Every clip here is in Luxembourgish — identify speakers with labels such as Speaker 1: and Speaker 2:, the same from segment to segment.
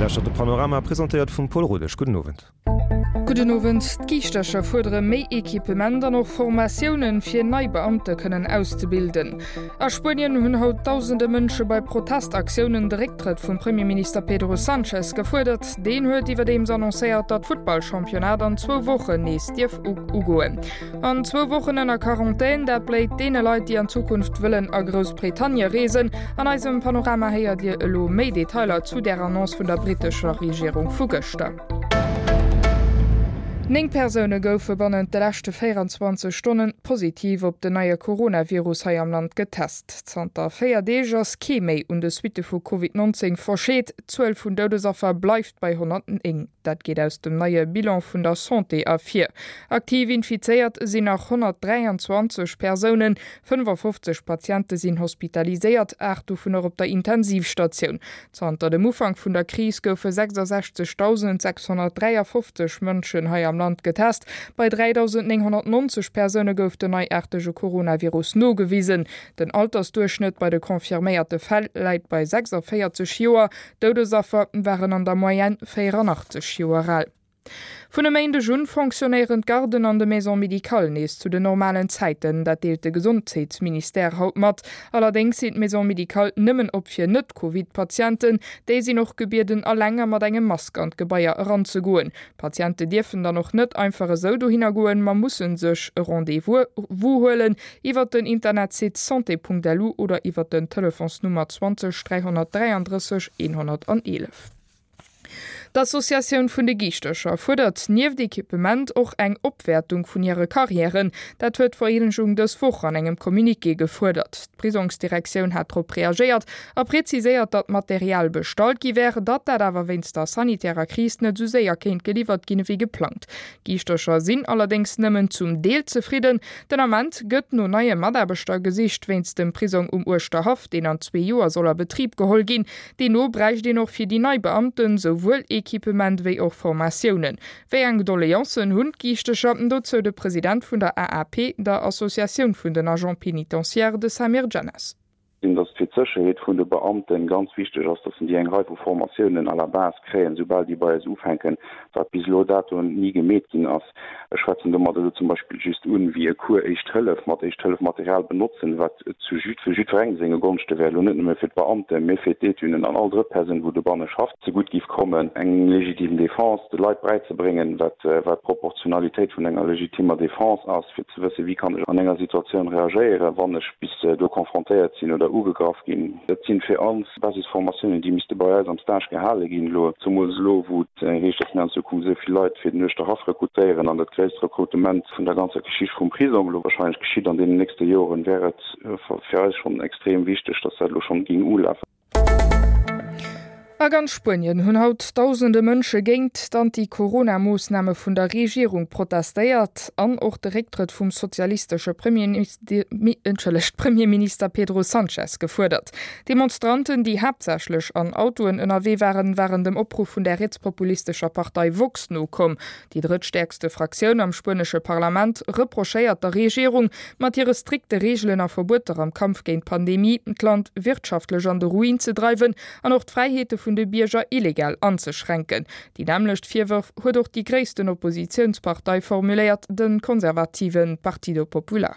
Speaker 1: Dir lauschtert de Panorama, presentéiert vum Paul Rodesch. Gudden Owend.
Speaker 2: Gudden Owend. D'Giischtercher fuerdere méi Equipement an och Formatiounen, fir nei Beamte kënnen auszebilden. A Spuenien hunn haut dausende Mënsche bei Protestaktiounen de Récktrëtt vum Premierminister Pedro Sanchez gefuerdert. Deen huet iwwerdeems annoncéiert, datt d'Futtballchampionnat an zwou Wochen nees dierf ugoen. An zwou Wochen ënner Quarantän, dat bléit deene Leit, déi an Zukunft wëllen a Groussbritannie reesen. An eisem Panorama héiert Dir elo méi Detailer zu där Annonce vun der brittescher Regierung vu gëschter. 9 Persoune goufe bannent de leschte 24 Stonne positiv op den neie Coronavirus hei am Land getest. Zanter 4 Deeg ass kee méi un de Suitte vu Covid 19 verscheet. D'Zuel vun Doudesaffer bleift bei 109. Dat geet aus dem neie Bilan vun der Santé ervir. Aktiv infizéiert sinn nach 123 Persounen, 55 Patiente sinn hospitaliséiert, 8 dovunner op der Intensivstatioun. Zanter dem Ufank vun der Kris goufe 66.653 Mënschen hei am Land getest. Bei 3.990 Persoune gouf den neiaartege Coronavirus nogewisen. Den Altersduerchschnëtt bei de confirméierte Fäll läit bei 46 Joer. D'Doudesaffer waren an der Moyenne 84 Joer al. Vun e Méindeg un fonctionnéieren d'Garden an de Maisons médicales nees zu den normalen Zäiten. Dat deelt de Gesondheetsministère haut mat. Allerdéngs sinn d'Maisons médicales nëmmen op fir Net-Covid-Patienten. Déi sinn och gebieden, eleng a mat engem Mask an d'Gebaier eranzegoen. D'Patiente dierfen dann och net einfach esou dohinner goen, ma musse sech e Rendez-vous huelen iwwert den Internetsite santé.lu oder iwwert den Telefonsnummer 20 333 111. D'Associatioun vun de Giischtercher fuerdert nieft Equipement och eng Opwäertung vun hire Karriären. Dat huet d'Vereenegung dës Woch an engem Communiqué gefuerdert. D'Prisongsdirektioun hat drop reagéiert a preziséiert, datt Material bestallt gi wär, datt dat awer wéinst der sanitärer Kris net esou séier kéint geliwwert ginn ewéi geplangt. D'Giischtercher sinn allerdéngs nëmmen zum Deel zefridden. Den Ament gëtt no neie Mataarbechter gesicht wéinst dem Prisong um Uerschterhaff, deen an zwee Joer soll a Betrib geholl ginn. Deemno bräicht een och fir déi nei Beamten souwuel Equipement wéi och Formatiounen. Wéi eng Doleancen hunn d'Giichtecher? Dozou de President vun der AAP, der Associatioun vun den Agents pénitentiaires, de Samir Djennas.
Speaker 3: Sinn, dass et fir d'Sécherheet vun de Beamten ganz wichteg ass, dass déi eng Rei vu Formatiounen à la base kréien, soubal déi bei eis ufänken, wat bis elo dato ni gemeet ginn ass. Ech schwätzen domat elo zum Beispill just un, wéi e Cours Éischt Hëllef mat Éischt-Hëllef-Material benotzen, wat zu fir jiddwerengem senge Gonschte wär, elo net nëmme fir d'Beamten, mee fir d'Étunen an all Drëttpersoun, wou dobanne schafft, zegutt giff kommen, eng legitime Défense de Leit bräizebréngen, wat wat d'Proportionalitéit vun enger legitimer Défense ass, fir ze wëssen, wéi kann ech an enger Situatioun reagéieren, wann ech bis do confrontéiert sinn oder ugegraff ginn. Dat sinn fir ons Basisformatiounen, déi misste bei eis am Stage gehale ginn elo, zemools elo, wou et heescht, datt mir an Zukunft esou vill Leit fir den Uerschterhaff rekrutéieren an dat gréisst Rekrutement vun der ganzer Geschicht vum Prisong elo wahrscheinlech geschitt an deenen nächste Joren, wär et fir eis schonn extrem wichteg, datt dat elo schonn géing ulafen.
Speaker 2: A ganz Spuenien hunn haut dausende Mënsche géint d'Anti-Corona-Moossname vun der Regierung protestéiert an och de Récktrëtt vum sozialistesche Premierminister Pedro Sanchez gefuerdert. D'Demonstranten, déi haaptsächlech an Autoen ënnerwee waren, waren dem Opruff vun der rietspopulistescher Partei Vox nokomm. Déi drëttstäerkste Fraktioun am spuenesche Parlament reprochéiert der Regierung, mat hire strikte Reegelen a Verbueter am Kampf géint d'Pandemie d'Land wirtschaftlech an de Ruin ze dreiwen an och d'Fräiheete vun de Bierger illegal anzeschränken. Déi nämmlecht Virwërf huet och déi gréissten Oppositiounspartei formuléiert, de konservative Partido Popular.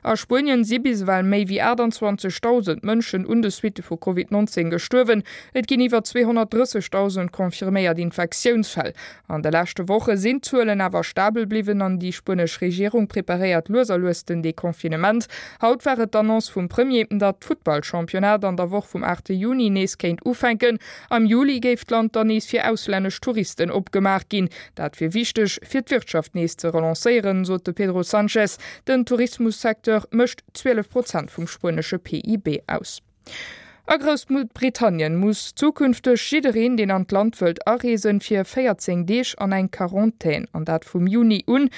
Speaker 2: A Spuenien si bis ewell méi wéi 28.000 Mënschen un de Suitte vu Covid 19 gestuerwen. Et ginn iwwer 230.000 confirméiert Infektiounsfäll. An de leschte Woche sinn d'Zuelen awer stabel bliwwen an déi spuenesch Regierung preparéiert lues a lues den Deconfinement. Haut war et d'Annonce vum Premier, datt d'Futtballchampionnat an der Woch vum 8 Juni nees kéint ufänken. Am Juli géif d'Land dann nees fir auslännesch Touristen opgemaach ginn. Dat wier wichteg, fir d'Wirtschaft nees ze relancéieren, sot de Pedro Sanchez. Den Tourismussecteur mécht 12 Prozent vum spuenesche PIB aus. A Groussbritannien muss zukünfteg jiddereen, deen an d'Land wëllt areesen, fir 14 Deeg an eng Quarantän, an dat vum Juni un.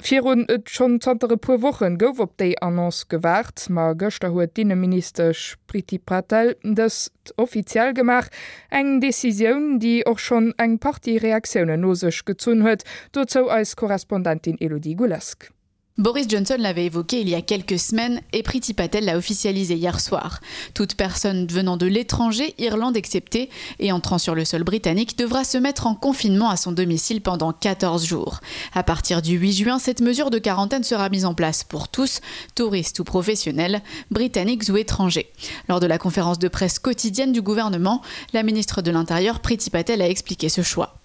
Speaker 2: Virun schonn zanter e puer Wochen gouf op déi Annonce gewaart, ma gëschter huet d'Inneministesch Priti Patel dëst offiziell gemaach. Eng Decisioun, déi och schonn eng Partie Reaktiounen no sech gezunn huet. Dozou eis Korrespondentin Elodie Goulesque.
Speaker 4: Boris Johnson l'avait évoqué il y a quelques semaines et Priti Patel l'a officialisé hier soir. Toute personne venant de l'étranger, Irlande exceptée, et entrant sur le sol britannique devra se mettre en confinement à son domicile pendant 14 jours. À partir du 8 juin, cette mesure de quarantaine sera mise en place pour tous, touristes ou professionnels, britanniques ou étrangers. Lors de la conférence de presse quotidienne du gouvernement, la ministre de l'Intérieur Priti Patel a expliqué ce choix.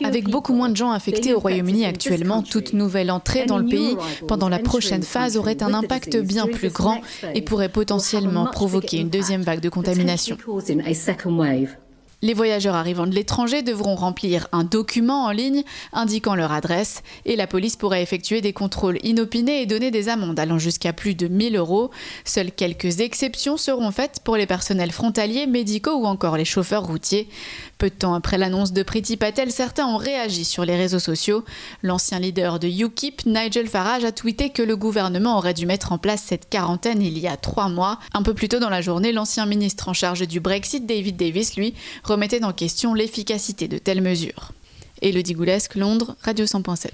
Speaker 4: Avec beaucoup moins de gens affectés au Royaume-Uni actuellement, toute nouvelle entrée dans le pays pendant la prochaine phase aurait un impact bien plus grand et pourrait potentiellement provoquer une deuxième vague de contamination. Les voyageurs arrivant de l'étranger devront remplir un document en ligne indiquant leur adresse et la police pourrait effectuer des contrôles inopinés et donner des amendes allant jusqu'à plus de 1000 euros. Seules quelques exceptions seront faites pour les personnels frontaliers, médicaux ou encore les chauffeurs routiers. Peu de temps après l'annonce de Priti Patel, certains ont réagi sur les réseaux sociaux. L'ancien leader de UKIP, Nigel Farage, a tweeté que le gouvernement aurait dû mettre en place cette quarantaine il y a trois mois. Un peu plus tôt dans la journée, l'ancien ministre en charge du Brexit, David Davis, lui, remettait en question l'efficacité de telles mesures. Elodie Goulesque, Londres, Radio 100.7.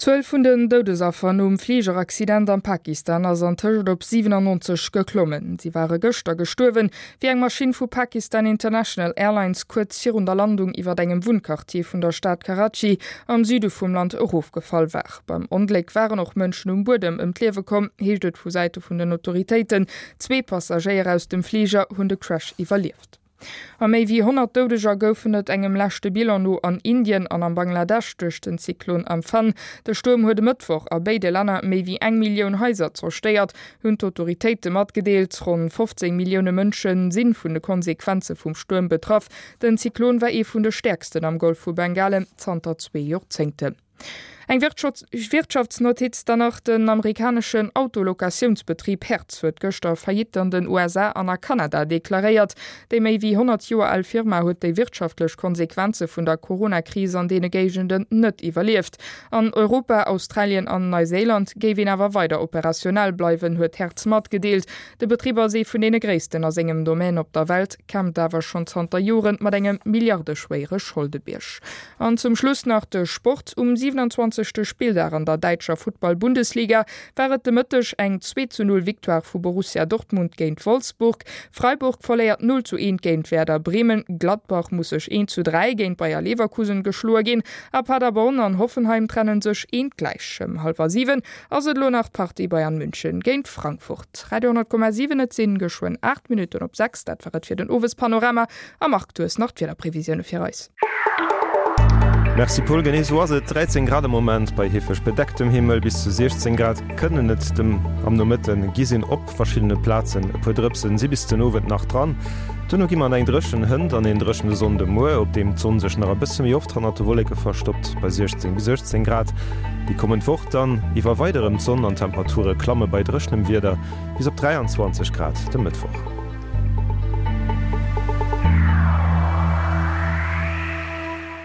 Speaker 2: D'Zuel vun den Doudesaffer nom Fligeraccident am Pakistan ass an tëscht op 97 geklommen. Si ware gëschter gestuerwen, wéi eng Maschinn vu Pakistan International Airlines kuerz virun der Landung iwwer engem Wunnquartier vun der Stad Karachi am Süde vum Land erofgefall war. Beim Ongléck waren och Mënschen um Buedem ëm d'Liewe komm, heescht et vu Säite vun den Autoritéiten. Zwee Passagéier aus dem Fliger hunn de Crash iwwerlieft. A méi wéi 100 Doudeger goufen et engem leschte Bilan no an Indien an am Bangladesch duerch den Zyklon Amphan. De Stuerm huet e Mëttwoch a béide Länner méi wéi eng Millioun Haiser zerstéiert, hunn d'Autoritéite matgedeelt. Ronn 15 Millioune Mënsche si vun de Konsequenze vum Stuerm betraff. Den Zyklon war ee vun de stäerksten am Golf vu Bengalen zanter zwee Joerzéngten. Eng Wirtschaftsnotiz dann nach, Den amerikaneschen Autolocatiounsbetrib Hertz huet gëschter Faillite an den USA an a Kanada deklaréiert. Déi méi wéi 100 Joer al Firma huet déi wirtschaftlech Konsequenze vun der Corona-Kris an deene Géigenden net iwwerlieft. An Europa, Australien an Neuséiland géif een awer weider operationell bleiwen, huet Hertz matgedeelt. De Betrib ass ee vun deene gréissten a sengem Domaine op der Welt, kämpft awer schonn zanter Joren mat engem milliardeschwéiere Scholdebierg. An zum Schluss nach de Sport, Um 27. Spilldag an der däitscher Futtball-Bundesliga war et de Mëtteg eng 2 zu 0 Victoire vu Borussia Dortmund géint Wolfsburg. Freiburg verléiert 0 zu 1 géint Werder Bremen, Gladbach muss sech 1 zu 3 géint Bayer Leverkusen geschloe ginn a Paderborn an Hoffenheim trennen sech eent gläich. Ëm hallwer 7 ass et elo nach d'Partie Bayern München géint Frankfurt. Radio 10,7 Et sinn geschwënn 8 Minutten op 6. Dat war et fir den Owespanorama. A Marc, du hues nach d'Wiederprevisioune fir eis.
Speaker 1: Merci Paul, genee sou ass et. 13 Grad am Moment bei heefeg bedecktem Himmel, bis zu 16 Grad kënnen et dem am Nomëtten gi sinn. Op verschiddene Plazen e puer Drëpsen si bis den Owend nach dran. Duerno gi mer an eng dréchen Hënt an een dréchene Sonndemuer, op deem d'Sonn sech nach e bësse méi oft hannert de Wolleke verstoppt, bei 16 bis 18 Grad. Déi kommend Woch dann iwwer weider erëm d'Sonn an d'Temperature klamme bei dréchenem Wieder bis op 23 Grad de Mëttwoch.